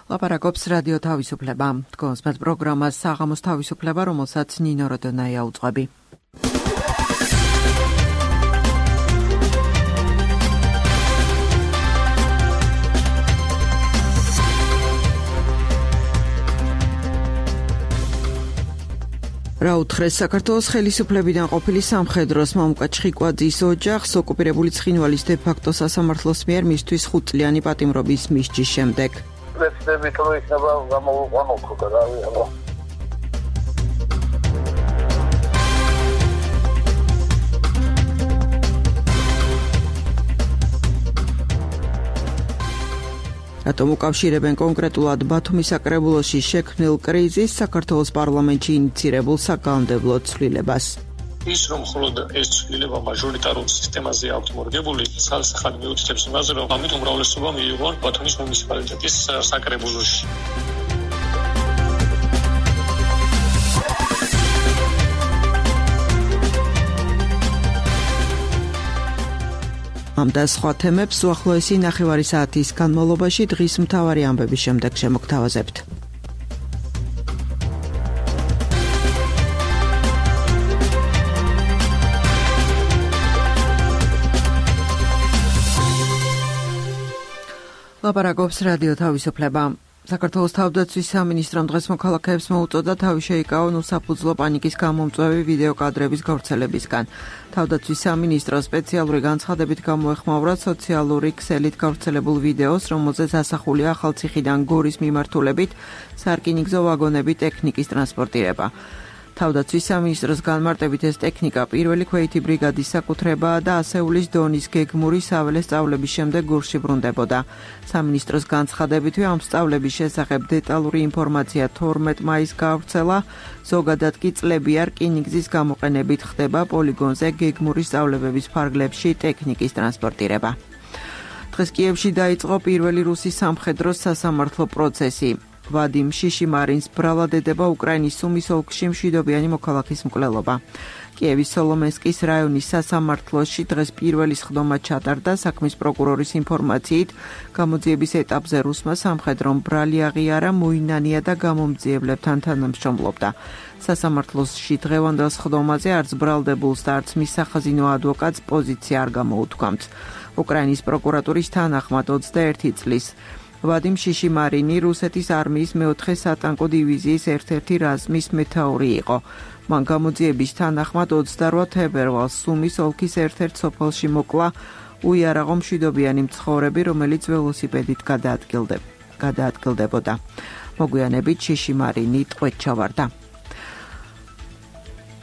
ლაპარაკობს რადიო თავისუფლება. თქვენს მათ პროგრამას საღამოს თავისუფლება, რომელსაც ნინო როდონაია უძღვები. რა უთხრეს საქართველოს ხელისუფლებიდან ყოფილი სამხედროს მამუკა ჩხიკვაძის ოჯახს ოკუპირებული ცხინვალის დე-ფაქტო სასამართლოს მიერ მისთვის 5 წლიანი პატიმრობის მისჯის შემდეგ. Let's go იქნება გამოვიყვანოთ ხო და რავი აბა. რატომ უკავშირებენ კონკრეტულად ბათუმის საკრებულოში შექმნილ კრიზისს საქართველოს პარლამენტში ინიცირებულ საკანონმდებლო ცვლილებას. ის რომ მხოლოდ ეს ცვლილება მაჟორიტარულ სისტემაზე აქვს მორგებული, ხალხი მიუთითებს იმაზე, რომ ამით უმრავლესობა მიიღო ბათუმის მუნიციპალიტეტის საკრებულოში. ამ და სხვა თემებს უახლოესი ნახევარი საათის განმავლობაში დღის მთავარი ამბების შემდეგ შემოგთავაზებთ. ლაპარაკობს რადიო თავისუფლება. საქართველოს თავდაცვის სამინისტრომ დღეს მოქალაქეებს მოუწოდა თავი შეიკავონ უსაფუძვლო პანიკის გამომწვევი ვიდეო კადრების გავრცელებისგან. თავდაცვის სამინისტრო სპეციალური განცხადებით გამოეხმაურა სოციალური ქსელით გავრცელებულ ვიდეოს, რომელზეც ასახულია ახალციხიდან გორის მიმართულებით სარკინიგზო ვაგონები ტექნიკის ტრანსპორტირება. თავდაცვის სამინისტროს განმარტებით ეს ტექნიკა პირველი ქვეითი ბრიგადის საკუთრებაა და ასეულის დონის გეგმური საველე სწავლების შემდეგ გურში ბრუნდებოდა. სამინისტროს განცხადებითვე ამ სწავლების შესახებ დეტალური ინფორმაცია 12 მაისს გავრცელა, ზოგადად კი წლებია რკინიგზის გამოყენებით ხდება პოლიგონზე გეგმური სწავლებების ფარგლებში ტექნიკის ტრანსპორტირება. დღეს კიევში დაიწყო პირველი რუსი სამხედრო სასამართლო პროცესი. ვადიმ შიშიმარინს ბრალად ედება უკრაინის სუმის ოლქში მშვიდობიანი მოქალაქის მკვლელობა. კიევის სოლომენსკის რაიონის სასამართლოში დღეს პირველი სხდომა ჩატარდა. საქმის პროკურორის ინფორმაციით, გამოძიების ეტაპზე რუსმა სამხედრომ ბრალი აღიარა, მოინანია და გამომძიებლებთან თანამშრომლობდა. სასამართლოში დღევანდელ სხდომაზე არც ბრალდებულს და არც მის სახაზინო ადვოკატს პოზიცია არ გამოუთქვამთ. უკრაინის პროკურატურის თანახმად 21 წლის ვადიმ შიშიმარინი რუსეთის არმიის მეოთხე სატანკო დივიზიის ერთ-ერთი რაზმის მეთაური იყო. მან გამოძიების თანახმად 28 თებერვალს სუმის ოლქის ერთ-ერთ სოფელში მოკლა უიარაღო მშვიდობიანი მცხოვრები, რომელიც ველოსიპედით გადაადგილდებოდა. მოგვიანებით შიშიმარინი ტყვედ ჩავარდა.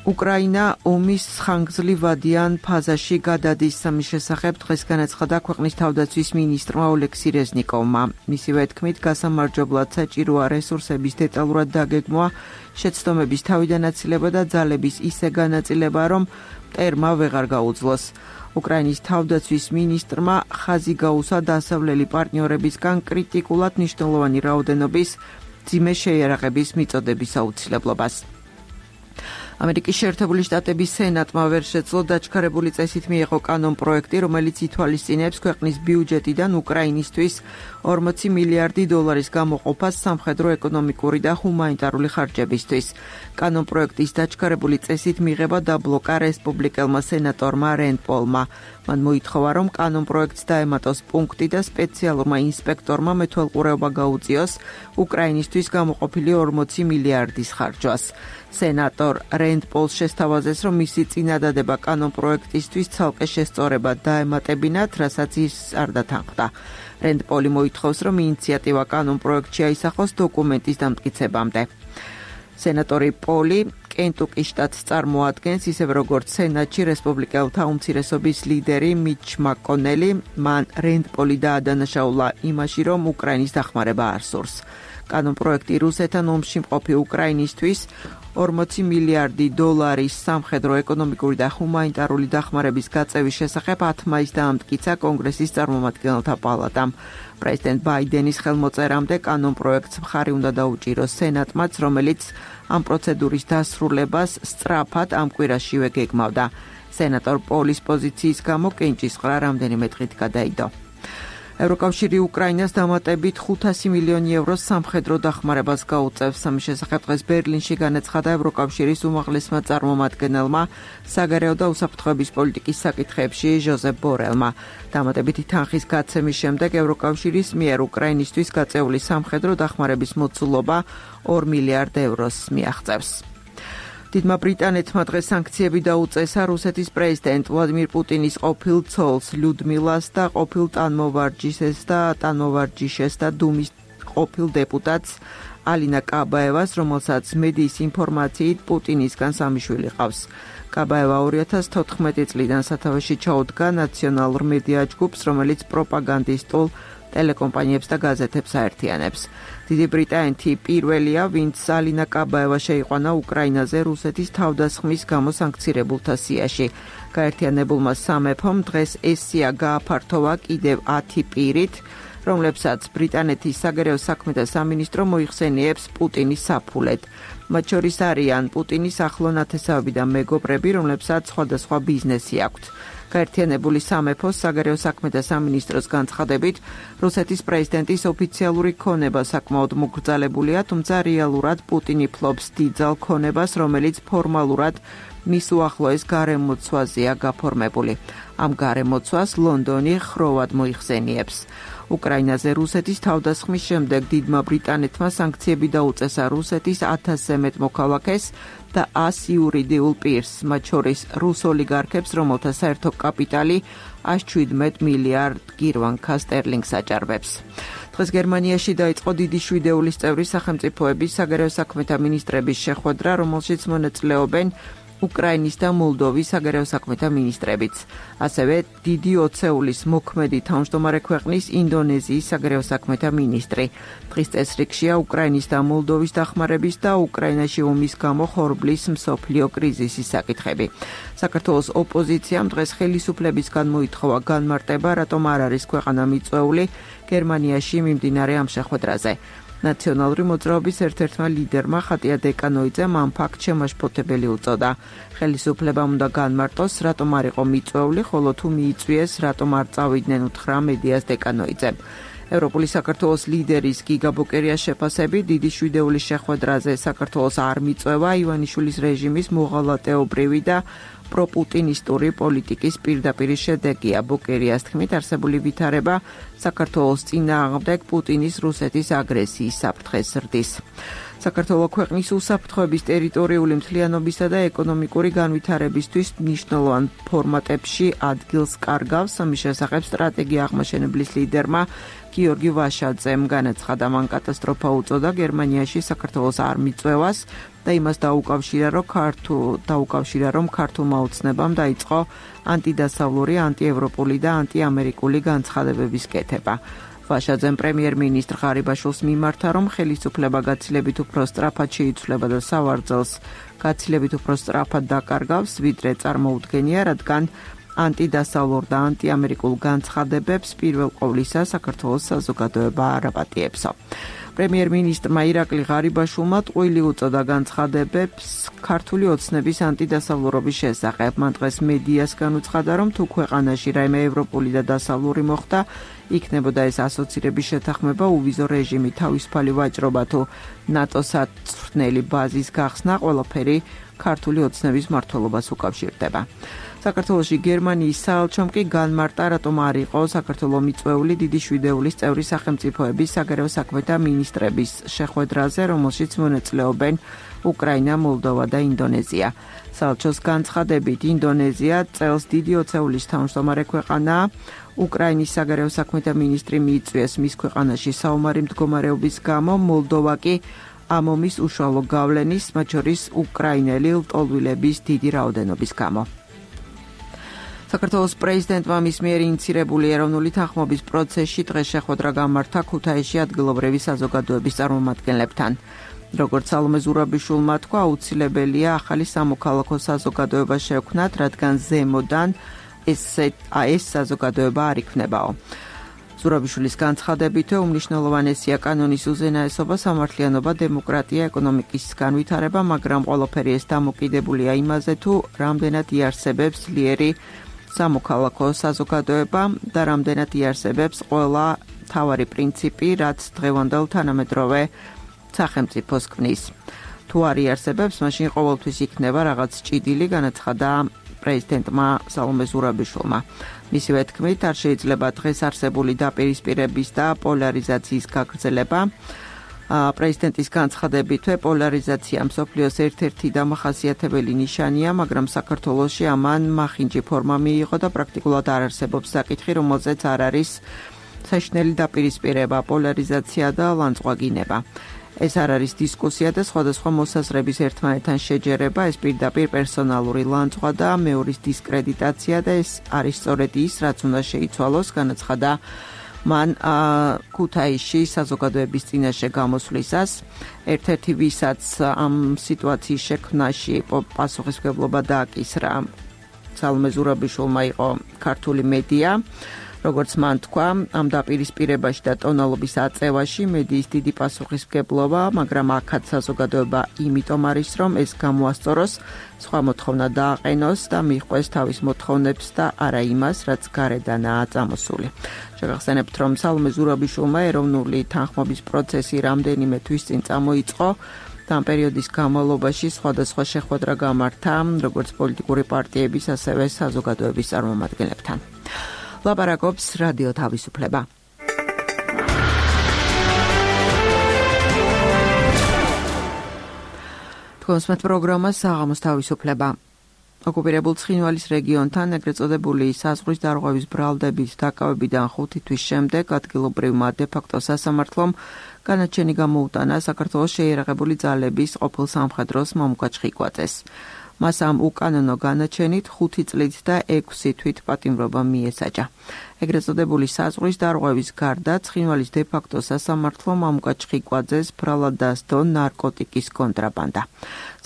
უკრაინა ომის ხანგრძლივადიან ფაზაში გადადის. ამის შესახებ დღეს განაცხადა ქვეყნის თავდაცვის მინისტრმა ოლექსი რეზნიკოვმა. მისივე თქმით, გასამარჯობლად საჭიროა რესურსების დეტალურად დაგეგმვა, შეცდომების თავიდანაწილება და ძალების ისე განაწილება, რომ მტერმა ვეღარ გაუძლოს. უკრაინის თავდაცვის მინისტრმა ხაზი გაუსვა დასავლელი პარტნიორებისგან კრიტიკულად მნიშვნელოვანი რაოდენობის მძიმე შეიარაღების მიწოდების აუცილებლობას. ამერიკის შეერთებული შტატების სენატმა ვერ შეძლო დაჩქარებული წესით მიეღო კანონპროექტი, რომელიც ითვალისწინებს ქვეყნის ბიუჯეტიდან უკრაინისთვის 40 მილიარდი დოლარის გამოყოფას სამხედრო, ეკონომიკური და ჰუმანიტარული ხარჯებისთვის. კანონპროექტის დაჩქარებული წესით მიღება დაბლოკა რესპუბლიკელმა სენატორმა რენდ პოლმა. მან მოითხოვა, რომ კანონპროექტს დაემატოს პუნქტი და სპეციალურმა ინსპექტორმა მეთვალყურეობა გაუწიოს უკრაინისთვის გამოყოფილი 40 მილიარდის ხარჯვას. სენატორ რენდ პოლს შესთავაზეს, რომ მისი წინადადება კანონპროექტისთვის ცალკე შესწორება დაემატებინათ, რასაც ის არ დათანხმდა. რენდ პოლი მოითხოვს, რომ ინიციატივა კანონპროექტში აისახოს დოკუმენტის დამტკიცებამდე. სენატორი პოლი კენტუკის შტატს წარმოადგენს, ისევ როგორც სენატში რესპუბლიკელთა უმცირესობის ლიდერი მიჩ მაკონელი. მან რენდ პოლი დაადანაშაულა იმაში, რომ უკრაინის დახმარება არ სურს. კანონპროექტი რუსეთთან ომში მყოფი უკრაინისთვის 40 მილიარდი დოლარის სამხედრო, ეკონომიკური და ჰუმანიტარული დახმარების გაწევის შესახებ 10 მაისს დაამტკიცა კონგრესის წარმომადგენელთა პალატამ. პრეზიდენტ ბაიდენის ხელმოწერამდე კანონპროექტს მხარი უნდა დაუჭიროს სენატმაც, რომელიც ამ პროცედურის დასრულებას სწრაფად ამ კვირაშივე გეგმავდა. სენატორ პოლის პოზიციის გამო კენჭისყრა რამდენიმე დღით გადაიდო. ევროკავშირი უკრაინას დამატებით 500 მილიონი ევროს სამხედრო დახმარებას გაუწევს. ამის შესახებ დღეს ბერლინში განაცხადა ევროკავშირის უმაღლესმა წარმომადგენელმა საგარეო და უსაფრთხოების პოლიტიკის საკითხებში ჟოზეფ ბორელმა. დამატებითი თანხის გაცემის შემდეგ ევროკავშირის მიერ უკრაინისთვის გაწეული სამხედრო დახმარების მოცულობა 2 მილიარდ ევროს მიაღწევს. დიდმა ბრიტანეთმა დღეს სანქციები დაუწესა რუსეთის პრეზიდენტ ვლადიმირ პუტინის ყოფილ ცოლს ლიუდმილას და ყოფილ ტანმოვარჯიშეს და დუმის ყოფილ დეპუტატს ალინა კაბაევას, რომელსაც მედიის ინფორმაციით პუტინისგან 3 შვილი ყავს. კაბაევა 2014 წლიდან სათავეში ჩაუდგა ნაციონალურ მედია ჯგუფს, რომელიც პროპაგანდისტულ ტელეკომპანიებს და გაზეთებს აერთიანებს. დიდი ბრიტანეთი პირველია, ვინც ალინა კაბაევა შეიყვანა უკრაინაზე რუსეთის თავდასხმის გამო სანქცირებულთა სიაში. გაერთიანებულმა სამეფომ დღეს ეს სია გააფართოვა კიდევ 10 პირით, რომლებსაც ბრიტანეთის საგარეო საქმეთა სამინისტრო მოიხსენიებს პუტინის საფულედ. მათ შორის არიან პუტინის ახლო ნათესავები და მეგობრები, რომლებსაც სხვადასხვა ბიზნესი აქვთ. გაერთიანებული სამეფოს საგარეო საქმეთა სამინისტროს განცხადებით, რუსეთის პრეზიდენტის ოფიციალური ქონება საკმაოდ მოგრძალებულია, თუმცა რეალურად პუტინი ფლობს დიდძალ ქონებას, რომელიც ფორმალურად მის უახლოეს გარემოცვაზეა გაფორმებული. ამ გარემოცვას ლონდონი ხროვად მოიხსენიებს. უკრაინაზე რუსეთის თავდასხმის შემდეგ დიდმა ბრიტანეთმა სანქციები დაუწესა რუსეთის 1000-ზე მეტ მოქალაქეს და 100 იურიდიულ პირს, მათ შორის რუს ოლიგარქებს, რომელთა საერთო კაპიტალი 117 მილიარდ გირვანკა სტერლინგს აჭარბებს. დღეს გერმანიაში დაიწყო დიდი შვიდეულის წევრი სახელმწიფოების საგარეო საქმეთა მინისტრების შეხვედრა, რომელშიც მონაწილეობენ უკრაინის და მოლდოვის საგარეო საქმეთა მინისტრებიც. ასევე დიდი ოცეულის მოქმედი თავმჯდომარე ქვეყნის ინდონეზიის საგარეო საქმეთა მინისტრი. დღის წესრიგშია უკრაინის და მოლდოვის დახმარების და უკრაინაში ომის გამო ხორბლის მსოფლიო კრიზისის საკითხები. საქართველოს ოპოზიციამ დღეს ხელისუფლებისგან მოითხოვა განმარტება, რატომ არ არის ქვეყანა მიწვეული გერმანიაში მიმდინარე ამ შეხვედრაზე. ნაციონალური მოძრაობის ერთ-ერთმა ლიდერმა ხატია დეკანოიძემ ამ ფაქტს შემაშფოთებელი უწოდა. ხელისუფლებამ უნდა განმარტოს, რატომ არ იყო მიწვეული, ხოლო თუ მიიწვიეს, რატომ არ წავიდნენ, უთხრა მედიას დეკანოიძემ. ევროპული საქართველოს ლიდერის გიგა ბოკერიას შეფასებით, დიდი შვიდეულის შეხვედრაზე საქართველოს არ მიწვევა ივანიშვილის რეჟიმის მოღალატეობრივი და პროპუტინისტური პოლიტიკის პირდაპირი შედეგია. ბოკერიას თქმით, არსებული ვითარება საქართველოს წინააღმდეგ პუტინის რუსეთის აგრესიის საფრთხეს ზრდის. საქართველოს ქვეყნის უსაფრთხოების ტერიტორიული მთლიანობისა და ეკონომიკური განვითარებისთვის მნიშვნელოვან ფორმატებში ადგილს კარგავს. ამის შესახებ სტრატეგია აღმაშენებლის ლიდერმა გიორგი ვაშაძემ განაცხადა, მან კატასტროფა უწოდა გერმანიაში საქართველოს არ მიწვევას და იმას დაუკავშირა, რომ ქართულმა ოცნებამ დაიწყო ანტიდასავლური, ანტიევროპული და ანტიამერიკული განცხადებების კეთება. ვაშაძემ პრემიერ-მინისტრ ღარიბაშვილს მიმართა, რომ ხელისუფლება გაცილებით უფრო სწრაფად შეიცვლება და სავარძელს გაცილებით უფრო სწრაფად დაკარგავს, ვიდრე წარმოუდგენია, რადგან ანტიდასავლურ და ანტიამერიკულ განცხადებებს პირველ ყოვლისა საქართველოს საზოგადოება არ აპატიებსო. პრემიერ-მინისტრმა ირაკლი ღარიბაშვილმა ტყუილი უწოდა განცხადებებს ქართული ოცნების ანტიდასავლურობის შესახებ. მან დღეს მედიას განუცხადა, რომ თუ ქვეყანაში რაიმე ევროპული და დასავლური მოხდა, იქნებოდა ეს ასოცირების შეთანხმება, უვიზო რეჟიმი, თავისუფალი ვაჭრობა თუ ნატოს საცხრნელი ბაზის გახსნა, ყველაფერი ქართული ოცნების მმართველობას უკავშირდება. საქართველოში გერმანიის საელჩომ კი განმარტა, რატომ არ იყო საქართველოს მიწვეული დიდი შვიდეულის წევრი სახელმწიფოების საგარეო საქმეთა მინისტრების შეხვედრაზე, რომელშიც მონაწილეობენ უკრაინა, მოლდოვა და ინდონეზია. საელჩოს განცხადებით, ინდონეზია წელს დიდი ოცეულის თავმჯდომარე ქვეყანაა. უკრაინის საგარეო საქმეთა მინისტრი მიიწვიეს მის ქვეყანაში საომარი მდგომარეობის გამო, მოლდოვა კი ამ ომის უშუალო გავლენის, მათ შორის უკრაინელი ლტოლვილების დიდი რაოდენობის გამო. საქართველოს პრეზიდენტმა მის მიერ ინიცირებული ეროვნული თანხმობის პროცესში დღეს შეხვედრა გამართა ქუთაისში ადგილობრივი საზოგადოების წარმომადგენლებთან. როგორც სალომე ზურაბიშვილმა თქვა, აუცილებელია ახალი სამოქალაქო საზოგადოება შევქმნათ, რადგან ზემოდან ეს საზოგადოება არ იქნებაო. ზურაბიშვილის განცხადებით, უმნიშვნელოვანესია კანონის უზენაესობა, სამართლიანობა, დემოკრატია, ეკონომიკის განვითარება, მაგრამ ყველაფერი ეს დამოკიდებულია იმაზე, თუ რამდენად იარსებებს ძლიერი სამოქალაქო საზოგადოება და რამდენად იარსებებს ყველა თავარი პრინციპი, რაც დღევანდელ თანამედროვე სახელმწიფოს ქმნის. თუ არ იარსებებს, მაშინ ყოველთვის იქნება რაღაც ჭიდილი, განაცხადა პრეზიდენტმა სალომე ზურაბიშვილმა. მისივე თქმით, არ შეიძლება დღეს არსებული დაპირისპირების და პოლარიზაციის გაგრძელება. პრეზიდენტის განცხადებითვე პოლარიზაცია მსოფლიოს ერთ-ერთი დამახასიათებელი ნიშანია, მაგრამ საქართველოში ამან მახინჯი ფორმა მიიღო და პრაქტიკულად არ არსებობს საკითხი, რომელზეც არ არის საშინელი დაპირისპირება, პოლარიზაცია და ლანძღვაგინება. ეს არ არის დისკუსია და სხვადასხვა მოსაზრების ერთმანეთთან შეჯერება, ეს პირდაპირ პერსონალური ლანძღვა და მეორის დისკრედიტაცია და ეს არის სწორედ ის, რაც უნდა შეიცვალოს, განაცხადა მან ქუთაისში საზოგადოების წინაშე გამოსვლისას. ერთ-ერთი ვისაც ამ სიტუაციის შექმნაში პასუხისმგებლობა დააკისრა სალომე ზურაბიშვილმა იყო ქართული მედია. როგორც მან თქვა, ამ დაპირისპირებაში და ტონალობის აწევაში მედიის დიდი პასუხისმგებლობა, მაგრამ აქაც საზოგადოება იმიტომ არის, რომ ეს გამოასწოროს, სხვა მოთხოვნა დააყენოს და მიჰყვეს თავის მოთხოვნებს და არა იმას, რაც გარედანაა წამოსული. შეგახსენებთ, რომ სალომე ზურაბიშვილმა ეროვნული თანხმობის პროცესი რამდენიმე თვის წინ წამოიწყო და ამ პერიოდის განმავლობაში სხვადასხვა შეხვედრა გამართა, როგორც პოლიტიკური პარტიების, ასევე საზოგადოების წარმომადგენლებთან. ლაპარაკობს რადიო თავისუფლება. თქვენს პროგრამას საღამოს თავისუფლება. ოკუპირებულ ცხინვალის რეგიონთან ეგრეთ წოდებული საზღვრის დარღვევის ბრალდების დაკავებიდან 5 თვის შემდეგ ადგილობრივმა დე-ფაქტო სასამართლომ განაჩენი გამოუტანა საქართველოს შეიარაღებული ძალების ყოფილ სამხედროს მამუკა ჩხიკვაძეს. მას ამ უკანონო განაჩენით 5 წლით და 6 თვით პატიმრობა მიესაჯა. ეგრეთ წოდებული საზღვრის დარღვევის გარდა ცხინვალის დე-ფაქტო სასამართლომ მამუკა ჩხიკვაძეს ბრალად დასდო ნარკოტიკის კონტრაბანდა.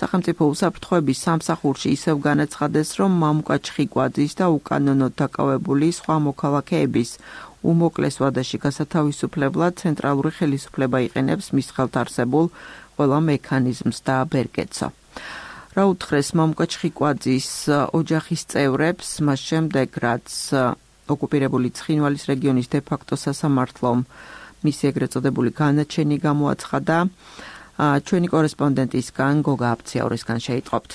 სახელმწიფო უსაფრთხოების სამსახურში ისევ განაცხადეს, რომ მამუკა ჩხიკვაძის და უკანონო დაკავებული სხვა მოქალაქეების უმოკლეს ვადაში გასათავისუფლებლად ცენტრალური ხელისუფლება იყენებს მის ხელთ არსებულ ყველა მექანიზმს და ბერკეტსო. რა უთხრეს მამუკა ჩხიკვაძის ოჯახის წევრებს, მას შემდეგ, რაც ოკუპირებული ცხინვალის რეგიონის დე-ფაქტო სასამართლომ მისი ეგრეთ წოდებული განაჩენი გამოაცხადა, ჩვენი კორესპონდენტისგან გოგა აფციაურისგან შეიტყობთ.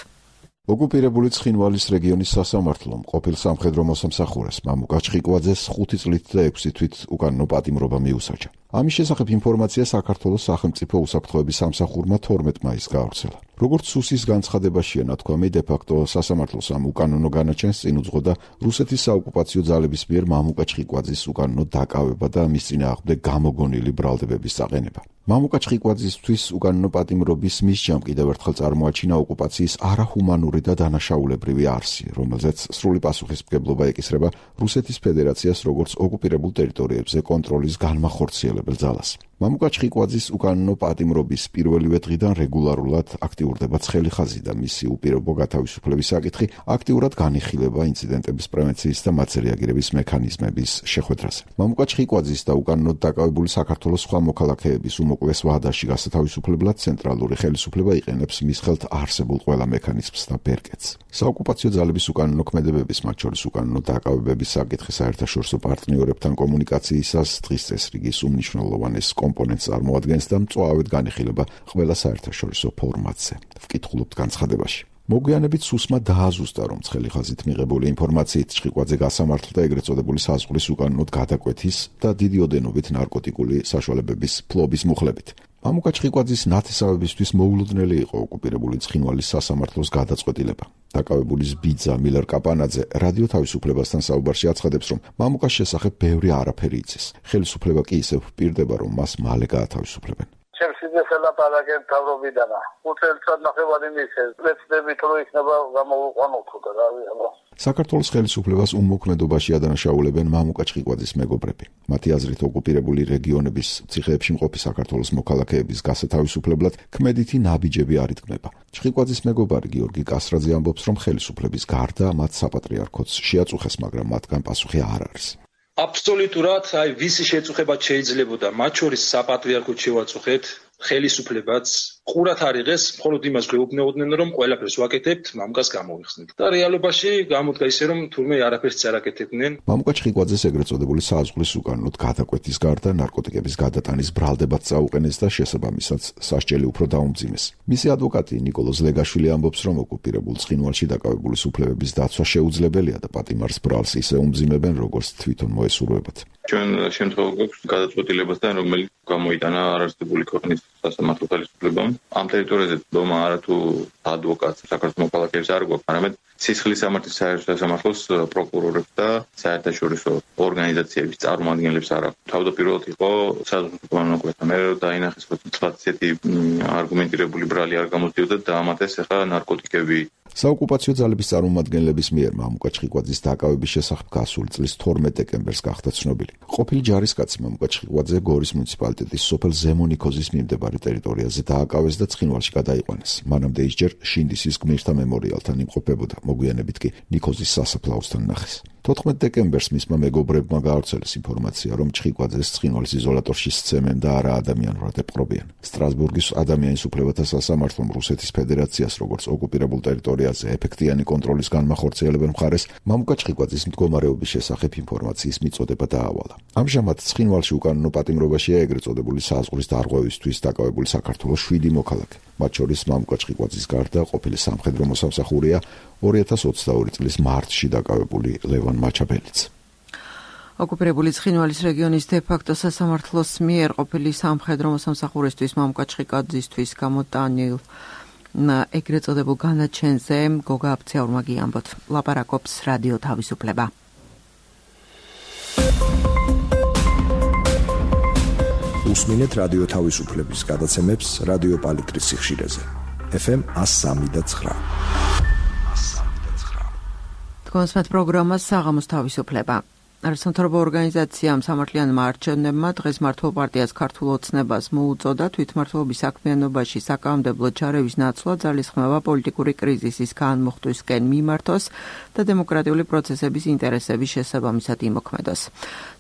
ოკუპირებული ცხინვალის რეგიონის სასამართლომ ყოფილ სამხედრო მოსამსახურეს მამუკა ჩხიკვაძეს 5 წლით და 6 თვით უკანონო პატიმრობა მიუსაჯა. ამის შესახებ ინფორმაცია საქართველოს სახელმწიფო უსაფრთხოების სამსახურმა 12 მაისს გაავრცელა. როგორც სუსის განცხადებაშია ნათქვამი, დე-ფაქტო სასამართლოს ამ უკანონო განაჩენს წინ უძღოდა რუსეთის საოკუპაციო ძალების მიერ მამუკა ჩხიკვაძის უკანონო დაკავება და მის წინააღმდეგ გამოგონილი ბრალდებების წაყენება. მამუკა ჩხიკვაძისთვის უკანონო პატიმრობის მისჯამ კიდევ ერთხელ წარმოაჩინა ოკუპაციის არაჰუმანური და დანაშაულებრივი არსი, რომელზეც სრული პასუხისმგებლობა ეკისრება რუსეთის ფედერაციას როგორც ოკუპირებულ ტერიტორიებზე კონტროლის განმახორციელებელ ძალას. მამუკა ჩხიკვაძის უკანონო პატიმრობის პირველივე დღიდან რეგულარულად აქტიურდება ცხელი ხაზი და მისი უპირობო გათავისუფლების საკითხი აქტიურად განიხილება ინციდენტების პრევენციის და მათზე რეაგირების მექანიზმების შეხვედრაზე. მამუკა ჩხიკვაძის და უკანონოდ დაკავებული საქართველოს სხვა მოქალაქეების უმოკლეს ვადაში გასათავისუფლებლად ცენტრალური ხელისუფლება იყენებს მის ხელთ არსებულ ყველა მექანიზმს და ბერკეტს. საოკუპაციო ძალების უკანონო ქმედებების, მათ შორის უკანონო დაკავებების საკითხი საერთაშორისო პარტნიორებთან კომუნიკაციისას დღის წესრიგის უმნიშვნელოვანეს კომპონენტს წარმოადგენს და მწვავედ განიხილება ყველა საერთაშორისო ფორმატზე. ვკითხულობთ განცხადებაში. მოგვიანებით სუსმა დააზუსტა, რომ ცხელი ხაზით მიღებული ინფორმაციით ჩხიკვაძე გასამართლდა ეგრეთ წოდებული საზღვრის უკანონოდ გადაკვეთის და დიდი ოდენობით ნარკოტიკული საშუალებების ფლობის მუხლებით. მამუკა ჩხიკვაძის ნათესავებისთვის მოულოდნელი იყო ოკუპირებული ცხინვალის სასამართლოს გადაწყვეტილება. დაკავებულის ბიძა მილერ კაპანაძე რადიო თავისუფლებასთან საუბარში აცხადებს, რომ მამუკას შესახებ ბევრი არაფერი იცის. ხელისუფლება კი ისევ პირდება, რომ მას მალე გაათავისუფლებენ. ლაპარაკენ თავრობიდანა. 5 წელიწად ნახევარი მისცეს. პრეცედენტი რო იქნება გამოუყვანოთ და რავი აბა. საქართველოს ხელისუფლებას უმოქმედობაში ადანაშაულებენ მამუკა ჩხიკვაძის მეგობრები. მათი აზრით ოკუპირებული რეგიონების ციხეებში მყოფი საქართველოს მოქალაქეების გასათავისუფლებლად ქმედითი ნაბიჯები არ იდგმება. ჩხიკვაძის მეგობარი გიორგი კასრაძე ამბობს, რომ ხელისუფლების გარდა მათ საპატრიარქოც შეაწუხეს, მაგრამ მათგან პასუხი არ არის. აბსოლუტურად, ვისი შეწუხება შეიძლებოდა, მათ შორის საპატრიარქოც შევაწუხეთ, ხელისუფლებაც ყურად არ იღეს, მხოლოდ იმას გვეუბნებოდნენ, რომ ყველაფერს ვაკეთებთ, მამუკას გამოვიხსნით. და რეალობაში გამოდგა ისე, რომ თურმე არაფერს არ აკეთებდნენ. მამუკა ჩხიკვაძეს ეგრეთ წოდებული საზღვრის უკანონოდ გადაკვეთის გარდა ნარკოტიკების გადატანის ბრალდებად წაუყენეს და შესაბამისად სასჯელი უფრო დაუმძიმეს. მისი ადვოკატი ნიკოლოზ ლეგაშვილი ამბობს, რომ ოკუპირებულ ცხინვალში დაკავებულის უფლებების დაცვა შეუძლებელია და პატიმარს ბრალს ისე უმძიმებენ, როგორც თვითონ მოესურვებათ. ჩვენ შემთხვევა გვაქვს გადაწყვეტილებასთან, რომელიც გამოიტანა არარსტებული ქვეყნის სასამართლო ხელისუფლებამ. ამ ტერიტორიაზე დომა არათუ ადვოკატს საქართველოს მოქალაქეებს არ გვაქვს, არამედ სისხლის სამართლის სასამართლოს პროკურორებს და საერთაშორისო ორგანიზაციების წარმომადგენლებს არ აქვს. თავდაპირველად იყო საზღვრის უკანონო მე დაინახეს, რომ თლაც ესეთი არგუმენტირებული ბრალი არ გამოდიოდა და ამათეს ახლა ნარკოტიკები. საოკუპაციო ძალების წარმომადგენლების მიერ მამუკა ჩხიკვაძის დაკავების შესახებ გასული წლის 12 დეკემბერს გახდა ცნობილი. ყოფილი ჯარისკაცი მამუკა ჩხიკვაძე გორის მუნიციპალიტეტის სოფელ ზემონიქოზის მიმდებარე ტერიტორიაზე დააკავეს და ცხინვალში გადაიყვანეს. მანამდე ის ჯერ შინდისის გმირთა მემორიალთან იმყოფებოდა, მოგვიანებით კი ნიქოზის სასაფლაოსთან ნახეს. 14 დეკემბერს მისმა მეგობრებმა გაავრცელეს ინფორმაცია, რომ ჩხიკვაძეს ცხინვალის იზოლატორში სცემენ და არა ადამიანურად ეპყრობიან. სტრასბურგის ადამიანის უფლებათა სასამართლომ რუსეთის ფედერაციას, როგორც ოკუპირებულ ტერიტორიაზე ეფექტიანი კონტროლის განმახორციელებელ მხარეს, მამუკა ჩხიკვაძის მდგომარეობის შესახებ ინფორმაციის მიწოდება დაავალა. ამჟამად ცხინვალში უკანონო პატიმრობაშია ეგრეთ წოდებული საზღვრის დარღვევისთვის დაკავებული საქართველოს 7 მოქალაქე. მათ შორის მამუკა ჩხიკვაძის გარდა ყოფილი სამხედრო მოსამსახურეა 2022 წლის მარტში დაკავებული ლევან მაჩაბელიც. ოკუპირებული ცხინვალის რეგიონის დე-ფაქტო სასამართლოს მიერ ყოფილი სამხედრო მოსამსახურისთვის მამუკა ჩხიკვაძისთვის გამოტანილ ეგრეთ წოდებულ განაჩენზე გოგა აფციაურმა გიამბოთ. ლაპარაკობს რადიო თავისუფლება. უსმინეთ რადიო თავისუფლების გადაცემებს რადიო პალიტრის სიხშირეზე. FM 103.9. კონსმეთ პროგრამა საღამოს თავისუფლება. არასამთავრობო ორგანიზაციამ სამართლიანმა არჩევნებმა დღეს მართლ პარტიას ქართულ ოცნებას მოუწოდა თვითმმართველობის საქმიანობაში საკანონმდებლო ჩარევის ნაცვლა ძალისხმევა პოლიტიკური კრიზისის განმუხტვისკენ მიმართოს და დემოკრატიული პროცესების ინტერესების შესაბამისად იმოქმედოს.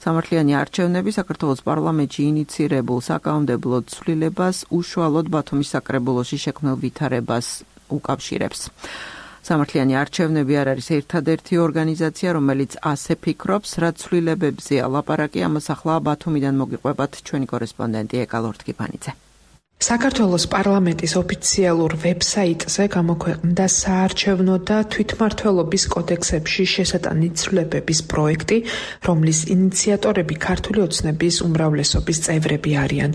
სამართლიანი არჩევნები საქართველოს პარლამენტში ინიცირებულ საკანონმდებლო ცვლილებას უშუალოდ ბათუმის საკრებულოში შექმნილ ვითარებას უკავშირებს. სამართლიანი არჩევნები არ არის ერთადერთი ორგანიზაცია, რომელიც ასე ფიქრობს, რაც ცვლილებებზეა ლაპარაკი, ამას ახლა ბათუმიდან მოგიყვებათ ჩვენი კორესპონდენტი ეკალორთკიფანიძე. საქართველოს პარლამენტის ოფიციალურ ვებსაიტზე გამოქვეყნდა საარჩევნო და თვითმმართველობის კოდექსებში შესატანი ცვლილებების პროექტი, რომლის ინიციატორები ქართული ოცნების უმრავლესობის წევრები არიან.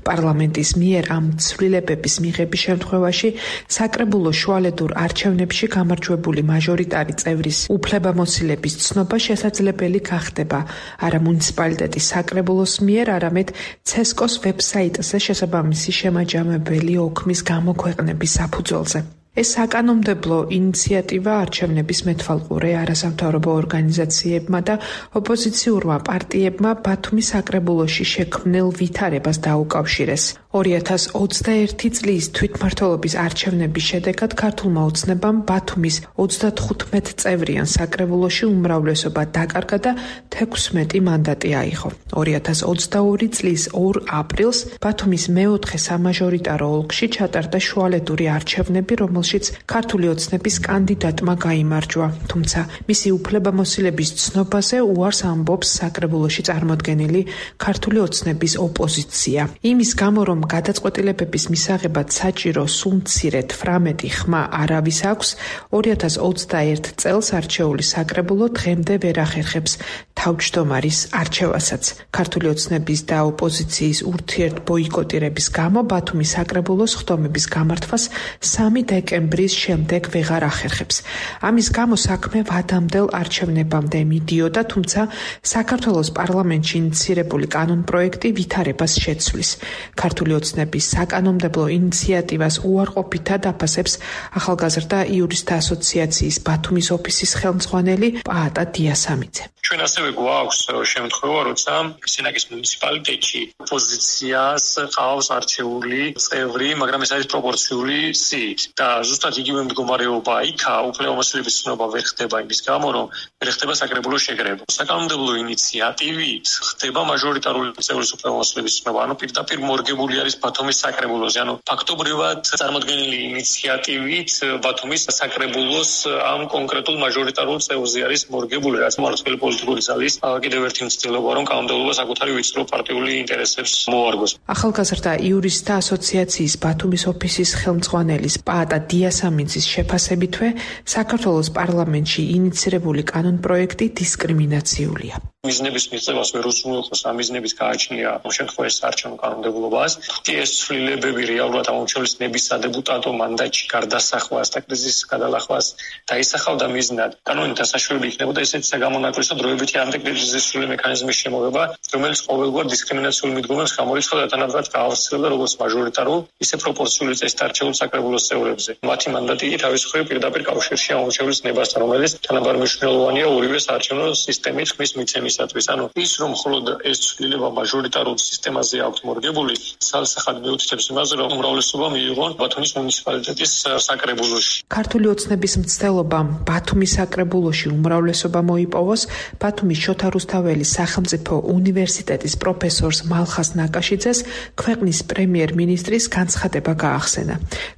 პარლამენტის მიერ ამ ცვლილებების მიღების შემთხვევაში საკრებულო შუალედურ არჩევნებში გამარჯვებული მაჟორიტარი წევრის უფლებამოსილების ცნობა შესაძლებელი გახდება არა მუნიციპალიტეტის საკრებულოს მიერ, არამედ ცესკოს ვებსაიტზე შესაბამისი შემაჯამებელი ოქმის გამოქვეყნების საფუძველზე. ეს საკანონმდებლო ინიციატივა არჩევნების მეთვალყურე არასამთავრობო ორგანიზაციებმა და ოპოზიციურმა პარტიებმა ბათუმის საკრებულოში შექმნილ ვითარებას დაუკავშირეს. 2021 წლის თვითმმართველობის არჩევნების შედეგად ქართულმა ოცნებამ ბათუმის 35 წევრიან საკრებულოში უმრავლესობა დაკარგა და 16 მანდატი აიღო. 2022 წლის 2 აპრილს ბათუმის მეოთხე სამაჟორიტარო ოლქში ჩატარდა შუალედური არჩევნები, რომელშიც ქართული ოცნების კანდიდატმა გაიმარჯვა, თუმცა მისი უფლებამოსილების ცნობაზე უარს ამბობს საკრებულოში წარმოდგენილი ქართული ოცნების ოპოზიცია. იმის გამო, რომ გადაწყვეტილებების მისაღებად საჭირო სულ მცირედ 18 ხმა არავის აქვს, 2021 წელს არჩეული საკრებულო დღემდე ვერ ახერხებს თავმჯდომარის არჩევასაც. ქართული ოცნების და ოპოზიციის ურთიერთ ბოიკოტირების გამო ბათუმის საკრებულოს ხდომების გამართვას 3 დეკემბრის შემდეგ ვეღარ ახერხებს. ამის გამო საქმე ვადამდელ არჩევნებამდე მიდიოდა, თუმცა საქართველოს პარლამენტში ინიცირებული კანონპროექტი ვითარებას შეცვლის. ქართული ოცნების საკანონმდებლო ინიციატივას უარყოფითად აფასებს ახალგაზრდა იურისტთა ასოციაციის ბათუმის ოფისის ხელმძღვანელი პაატა დიასამიძე. ჩვენ ასევე გვაქვს შემთხვევა, როცა სენაკის მუნიციპალიტეტში ოპოზიციას ყავს არჩეული წევრი, მაგრამ ეს არის პროპორციული სიით და ზუსტად იგივე მდგომარეობა იქა უფლებამოსილების ცნობა ვერ ხდება იმის გამო, რომ ვერ ხდება საკრებულო შეგრება. საკანონმდებლო ინიციატივით ხდება მაჟორიტარული წევრის უფლებამოსილების ცნობა, ანუ პირდაპირ მორგებული არის ბათუმის საკრებულოზე. ანუ ფაქტობრივად წარმოქმნილი ინიციატივით ბათუმის საკრებულოს ამ კონკრეტულ მაჟორიტარულ წევრზე არის მორგებული, რაც მმართველი პოლიტიკური ძალის კიდევ ერთი მცდელობა, რომ კანონმდებლობა საკუთარი ვიწრო პარტიული ინტერესებს მოარგოს. ახალგაზრდა იურისტთა ასოციაციის ბათუმის ოფისის ხელმძღვანელის პაატა დიასამინცის შეფასებითვე საქართველოს პარლამენტში ინიცირებული კანონპროექტი დისკრიმინაციულია. მიზნების მიღებას ვერ უზრუნველყოფს, ამ მიზნების გააჩნია შემთხვევაში საარჩევნო კანონმდებლობას. ეს ცვლილებები რეალურად ამომრჩევლის ნების სადეპუტატო მანდატში გარდასახვას და კრიზისის გადალახვას დაისახავდა მიზნად. კანონით დასაშვებელი იქნებოდა ესეთი საგამონაკლისო დროებითი ანტიკრიზისული მექანიზმის შემოღება, რომელიც ყოველგვარ დისკრიმინაციულ მიდგომებს გამორიცხავდა და თანაბრად გაავრცელებდა როგორც მაჟორიტარულ, ისე პროპორციული წესით არჩეულ საკრებულოს წევრებზე. მათი მანდატი კი თავის მხრივ პირდაპირ კავშირში ამომრჩევლის ნებასთან, რომელიც თანაბარ მნიშვნელოვანია ორივე საარჩევნო სისტემის ხმის მიცემისათვის. ანუ ის რომ მხოლოდ ეს ცვლილება მაჟორიტარულ სისტემაზე აქვს მორგებული, სალსახად მიუთითებს იმაზე, რომ უმრავლესობა მიიღონ ბათუმის მუნიციპალიტეტის საკრებულოში. ქართული ოცნების მცდელობამ ბათუმის საკრებულოში უმრავლესობა მოიპოვოს ბათუმის შოთა რუსთაველის სახელმწიფო უნივერსიტეტის პროფესორს მალხას ნაკაშიძეს ქვეყნის პრემიერ-მინისტრის განცხადება გაახსენა.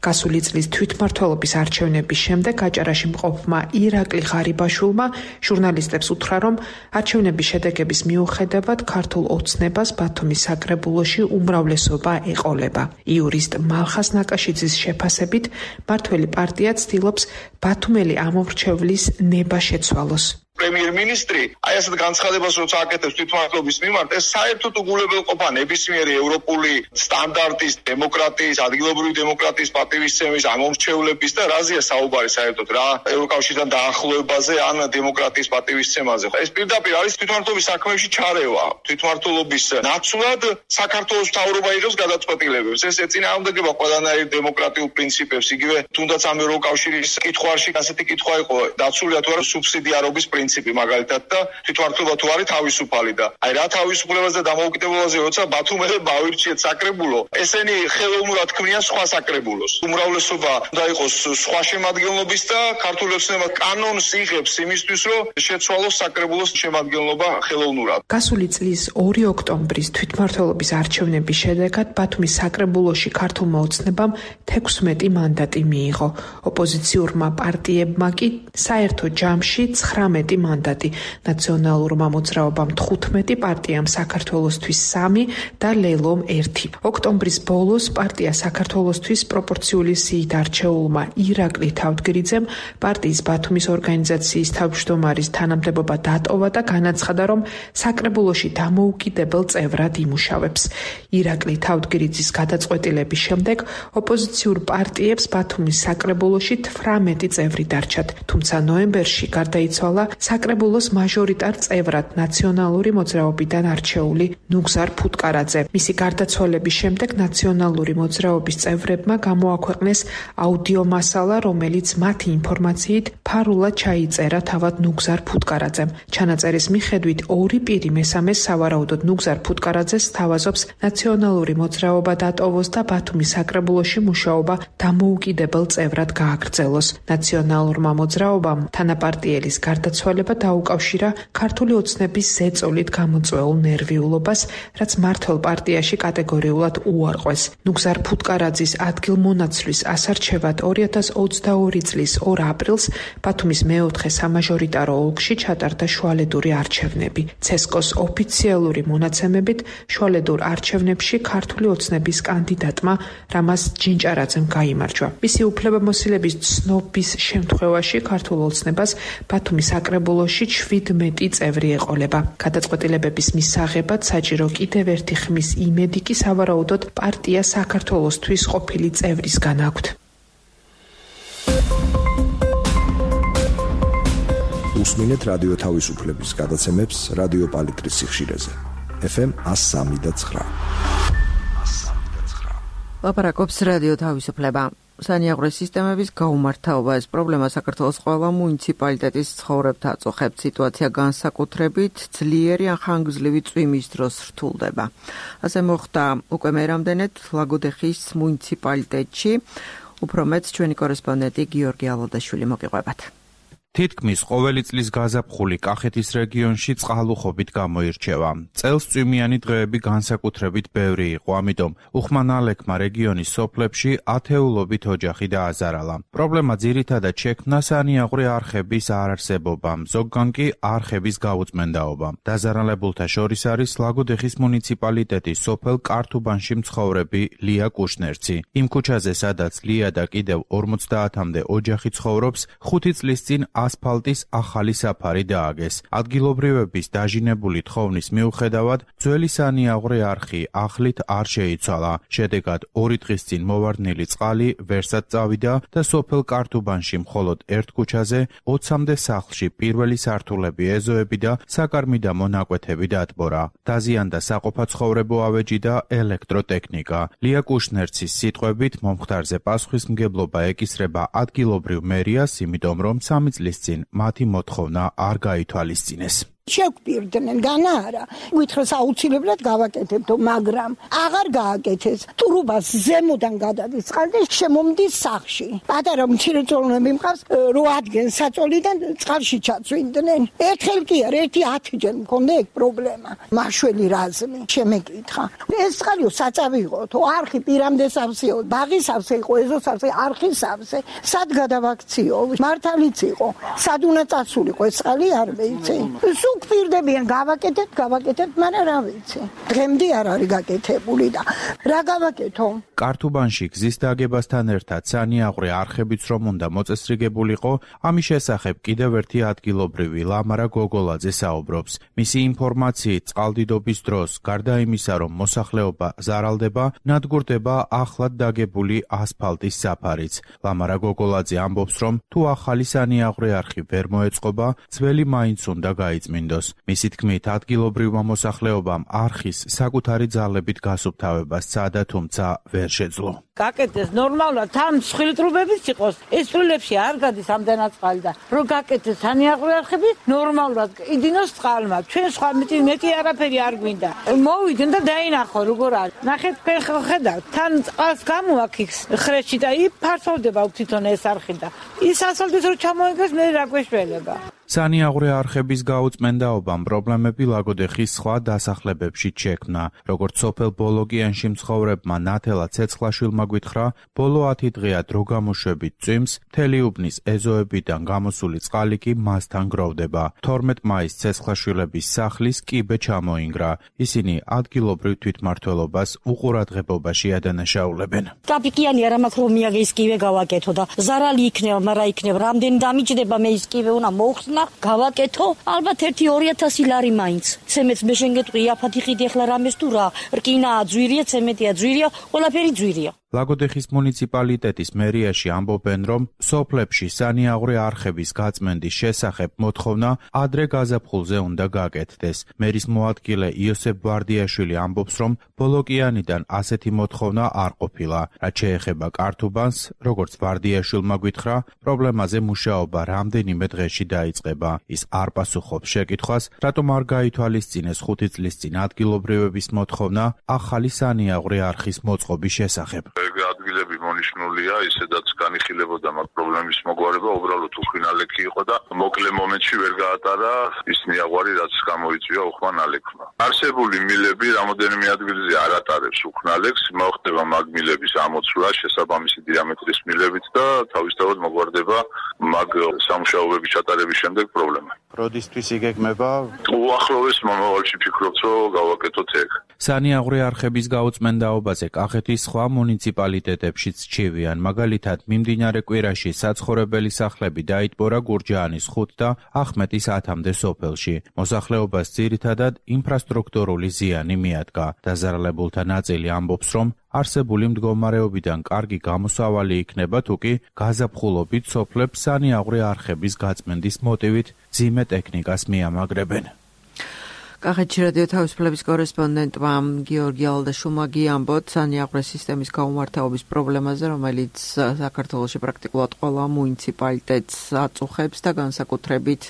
გასული წლის თვითმმართველობის არჩევნების შემდეგ აჭარაში მყოფმა ირაკლი ღარიბაშვილმა ჟურნალისტებს უთხრა, რომ არჩევნების შედეგების მიუხედავად ქართულ ოცნებას ბათუმის საკრებულოში უმრავლესობა ეყოლება. იურისტ მალხას ნაკაშიძის შეფასებით, მმართველი პარტია ცდილობს ბათუმელი ამომრჩევლის ნება შეცვალოს. პრემიერ-მინისტრი აი ასეთ განცხადებას როცა აკეთებს თვითმმართველობის მიმართ, ეს საერთოდ უგულებელყოფა ნებისმიერი ევროპული სტანდარტის, დემოკრატიის, ადგილობრივი დემოკრატიის პატივისცემის, ამომრჩევლების და რაზეა საუბარი საერთოდ რა ევროკავშირთან დაახლოებაზე ან დემოკრატიის პატივისცემაზე. ეს პირდაპირ არის თვითმმართველობის საქმეებში ჩარევა. თვითმმართველობის ნაცვლად საქართველოს მთავრობა იღებს გადაწყვეტილებებს. ეს ეწინააღმდეგება ყველანაირ დემოკრატიულ პრინციპებს. იგივე თუნდაც ამ ევროკავშირის კითხვაში ასეთი კითხვა იყო დაცულია თუ არა სუბსიდიარობის პრინციპი მაგალითად და თვითმმართველობა თუ არის თავისუფალი და აი რა თავისუფლებაზე და დამოუკიდებლობაზე როცა ბათუმელებმა ავირჩიეთ საკრებულო, ესენი ხელოვნურად ქმნიან სხვა საკრებულოს. უმრავლესობა უნდა იყოს სხვა შემადგენლობის და ქართული ოცნება კანონს იღებს იმისთვის, რომ შეცვალოს საკრებულოს შემადგენლობა ხელოვნურად. გასული წლის 2 ოქტომბრის თვითმმართველობის არჩევნების შედეგად ბათუმის საკრებულოში ქართულმა ოცნებამ 16 მანდატი მიიღო. ოპოზიციურმა პარტიებმა კი საერთო ჯამში 19 მანდატი, ნაციონალურმა მოძრაობამ 15, პარტიამ საქართველოსთვის 3 და ლელომ 1. ოქტომბრის ბოლოს პარტია საქართველოსთვის პროპორციული სიით არჩეულმა ირაკლი თავდგრიძემ პარტიის ბათუმის ორგანიზაციის თავმჯდომარის თანამდებობა დატოვა და განაცხადა, რომ საკრებულოში დამოუკიდებელ წევრად იმუშავებს. ირაკლი თავდგრიძის გადაწყვეტილების შემდეგ ოპოზიციურ პარტიებს ბათუმის საკრებულოში 18 წევრი დარჩათ, თუმცა ნოემბერში გარდაიცვალა საკრებულოს მაჟორიტარ წევრად ნაციონალური მოძრაობიდან არჩეული ნუგზარ ფუტკარაძე. მისი გარდაცვალების შემდეგ ნაციონალური მოძრაობის წევრებმა გამოაქვეყნეს აუდიო მასალა, რომელიც მათი ინფორმაციით ფარულად ჩაიწერა თავად ნუგზარ ფუტკარაძემ. ჩანაწერის მიხედვით 2 პირი მესამეს სავარაუდოდ ნუგზარ ფუტკარაძეს სთავაზობს ნაციონალური მოძრაობა დატოვოს და ბათუმის საკრებულოში მუშაობა დამოუკიდებელ წევრად გააგრძელოს. ნაციონალურმა მოძრაობამ თანაპარტიელის გარდაცვალება დაუკავშირა ქართული ოცნების ზეწოლით გამოწვეულ ნერვიულობას, რაც მმართველ პარტიაში კატეგორიულად უარყვეს. ნუგზარ ფუტკარაძის ადგილმონაცვლის ასარჩევად 2022 წლის 2 აპრილს ბათუმის მეოთხე სამაჟორიტარო ოლქში ჩატარდა შუალედური არჩევნები. ცესკოს ოფიციალური მონაცემებით შუალედურ არჩევნებში ქართული ოცნების კანდიდატმა რამაზ ჯინჭარაძემ გაიმარჯვა. მისი უფლებამოსილების ცნობის შემთხვევაში ქართულ ოცნებას ბათუმის საკრებულოში 17 წევრი ეყოლება. გადაწყვეტილებების მისაღებად საჭირო კიდევ ერთი ხმის იმედი კი სავარაუდოდ პარტია საქართველოსთვის ყოფილი წევრისგან აქვთ. უსმინეთ რადიო თავისუფლების გადაცემებს რადიო პალიტრის სიხშირეზე. FM 103.9. ლაპარაკობს რადიო თავისუფლება. სანიაღვრე სისტემების გაუმართავობა ეს პრობლემა საქართველოს ყველა მუნიციპალიტეტის ცხოვრებთან აწუხებს. სიტუაცია განსაკუთრებით ძლიერი ან ხანგრძლივი წვიმის დროს რთულდება. ასე მოხდა უკვე მერამდენედ ლაგოდეხის მუნიციპალიტეტში. უფრო მეტს ჩვენი კორესპონდენტი გიორგი ალოდაშვილი მოგიყვებათ. თითქმის ყოველი წლის გაზაფხული კახეთის რეგიონში წყალუხობით გამოირჩევა. წელს წვიმიანი დღეები განსაკუთრებით ბევრი იყო, ამიტომ უხმანალექმა რეგიონის სოფლებში ათეულობით ოჯახი დააზარალა. პრობლემა ძირითადად შექმნა სანიაღვრე არხების არარსებობამ, ზოგგან კი არხების გაუწმენდაობამ. დაზარალებულთა შორის არის ლაგოდეხის მუნიციპალიტეტის სოფელ კართუბანში მცხოვრები ლია კუშნერცი. იმ ქუჩაზე, სადაც ლია და კიდევ 50-მდე ოჯახი ცხოვრობს, 5 წლის წინ ასფალტის ახალი საფარი დააგეს. ადგილობრივების დაჟინებული თხოვნის მიუხედავად, ძველი სანიაღვრე არხი ახლით არ შეიცვალა. შედეგად 2 დღის წინ მოვარდნილი წყალი ვერსად წავიდა და სოფელ კართუბანში მხოლოდ ერთ ქუჩაზე 20-მდე სახლში პირველი სართულები ეზოები და საკარმი და მონაკვეთები დატბორა. დაზიანდა საყოფაცხოვრებო ავეჯი და ელექტროტექნიკა. ლია კუშნერცის სიტყვებით, მომხდარზე პასუხისმგებლობა ეკისრება ადგილობრივ მერიას, იმიტომ რომ 3 წლის წინ მათი მოთხოვნა არ გაითვალისწინეს. შეგვპირდნენ განაარა ვითხრეს აუცილებლად გავაკეთებდო, მაგრამ აღარ გააკეთეს. ტურუბას ზემოდან გადადის წყალი და შემომდის სახლში. პატარა მცირეწლოვნები მყავს 8 ადგენ საწოლიდან წყალში ჩაწვინდნენ. ერთხელ კი არ, 10-ჯერ მქონდა ეგ პრობლემა. მაშველი რაზმი შემეკითხა. ეს წყალიო საწავი იყო, თუ არხი პირამდე სავსეო, ბაღის სავსე იყო, ეზოს სავსე, არხის სავსე. სად გადავაქციო? მართალიც იყო. სად უნდა წასულიყო ეს წყალი არ ვიცი. გვპირდებიან გავაკეთებთ, მაგრამ რა ვიცი. დღემდე არ არის გაკეთებული და რა გავაკეთო? კართუბანში გზის დაგებასთან ერთად სანიაღვრე არხებიც რომ უნდა მოწესრიგებულიყო, ამის შესახებ კიდევ ერთი ადგილობრივი ლამარა გოგოლაძე საუბრობს. მისი ინფორმაციით წყალდიდობის დროს, გარდა იმისა, რომ მოსახლეობა ზარალდება, ნადგურდება ახლად დაგებული ასფალტის საფარიც. ლამარა გოგოლაძე ამბობს, რომ თუ ახალი სანიაღვრე არხი ვერ მოეწყობა, ძველი მაინც უნდა გაიწმინდოს. მისი თქმით, ადგილობრივმა მოსახლეობამ არხის საკუთარი ძალებით გასუფთავება სცადა, თუმცა ვერ შეძლო. გაკეთეს ნორმალურად, თან მსხვილტრუბებიც იყოს, ეს წვრილებში არ გადის ამდენად წყალი და რო გაკეთეს სანიაღვრე არხები, ნორმალურად იდინოს წყალმა. ჩვენ სხვა მეტი არაფერი არ გვინდა. მოვიდნენ და დაინახო როგორ არის. ნახეთ, ხედავთ, თან წყალს გამოაქიქს ხრეში და ფართოვდება თვითონ ეს არხი და ის ასფალტის რო ჩამოიგეს, მე რა გვეშველება. სანიაღვრე არხების გაუწმენდაობამ პრობლემები ლაგოდეხის სხვა დასახლებებში შექმნა. როგორც სოფელ ბოლოგიანში მცხოვრებმა ნათელა ცეცხლაშვილმა გითხრა, ბოლო 10 დღეა დრო გამოშვებით წვიმს, მთელი უბნის ეზოებიდან გამოსული წყალი კი მასთან გროვდება. 12 მაისს ცეცხლაშვილების სახლის კიბე ჩამოინგრა. ისინი ადგილობრივ თვითმმართველობას უყურადღებობაში ადანაშაულებენ. კაპიკიანი არ მაქვს რომ მიაგე ის კიბე გავაკეთო და ზარალი იქნება, მაგრამ იქნება რამდენი დამიჯდება, მე ის კიბე უნდა მოუხსნა. გავაკეთო, ალბათ 1-2000 ლარი მაინც. ცემეთს მე შენ გეტყვი, აფათი ხიდი ახლა რამეს თუ რა, რკინაა ძვირია, ცემეტია ძვირია, ყველაფერი ძვირია. ლაგოდეხის მუნიციპალიტეტის მერიაში ამბობენ, რომ სოფლებში სანიაღვრე არხების გაწმენდის შესახებ მოთხოვნა ადრე გაზაფხულზე უნდა გაკეთდეს. მერის მოადგილე იოსებ ვარდიაშვილი ამბობს, რომ ბოლოკიანიდან ასეთი მოთხოვნა არ ყოფილა. რაც შეეხება კართუბანს, როგორც ვარდიაშვილმა გითხრა, პრობლემაზე მუშაობა რამდენიმე დღეში დაიწყება. ის არ პასუხობს შეკითხვას, რატომ არ გაითვალისწინეს 5 წლის წინ ადგილობრივების მოთხოვნა ახალი სანიაღვრე არხის მოწყობის შესახებ. ადგილები მონიშნულია, ისედაც განიხილებოდა მაგ პრობლემის მოგვარება, უბრალოდ უხმანალექი იყო და მოკლე მომენტში ვერ გაატარა ის ნიაღვარი, რაც გამოიწვია უხმანალექმა. არსებული მილები რამოდენიმე ადგილზე არ ატარებს უხმანალექს, მოხდება მაგ მილების ამოცვლა შესაბამისი დიამეტრის მილებით და თავისთავად მოგვარდება მაგ სამუშაოების ჩატარების შემდეგ პრობლემა. როდისთვის იგეგმება? უახლოეს მომავალში ფიქრობთ, რომ გავაკეთოთ ეგ. სანიაღვრე არხების გაუწმენდაობაზე კახეთის სხვა მუნიციპალიტეტებშიც ჩივიან. მაგალითად, მიმდინარე კვირაში საცხოვრებელი სახლები დაიტბორა გურჯაანის 5 და ახმეტის 10-მდე სოფელში. მოსახლეობას ძირითადად ინფრასტრუქტურული ზიანი მიადგა. დაზარალებულთა ნაწილი ამბობს, რომ არსებული მდგომარეობიდან კარგი გამოსავალი იქნება, თუკი გაზაფხულობით სოფლებს სანიაღვრე არხების გაწმენდის მოტივით ძიმე ტექნიკას მიამაგრებენ. კახეთში რადიო თავისუფლების კორესპონდენტმა გიორგი ალდაშულმა ამბოთ სანიაღვრე სისტემის გაუმართლობის პრობლემაზე, რომელიც საქართველოში პრაქტიკულად ყველა მუნიციპალიტეტს აწუხებს და განსაკუთრებით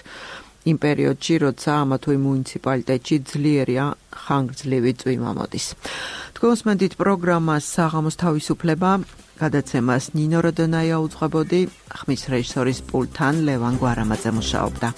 იმ პერიოდში, როცა ამა თუ იმ მუნიციპალიტეტში ძლიერია ხანგრძლივი წვიმა მოდის. თქვენ უსმენთ პროგრამას საღამოს თავისუფლება. გადაცემას ნინო როდონაია უძღვებოდი, ხმის რეჟისორის პულტთან ლევან გვარამაძე მუშაობდა.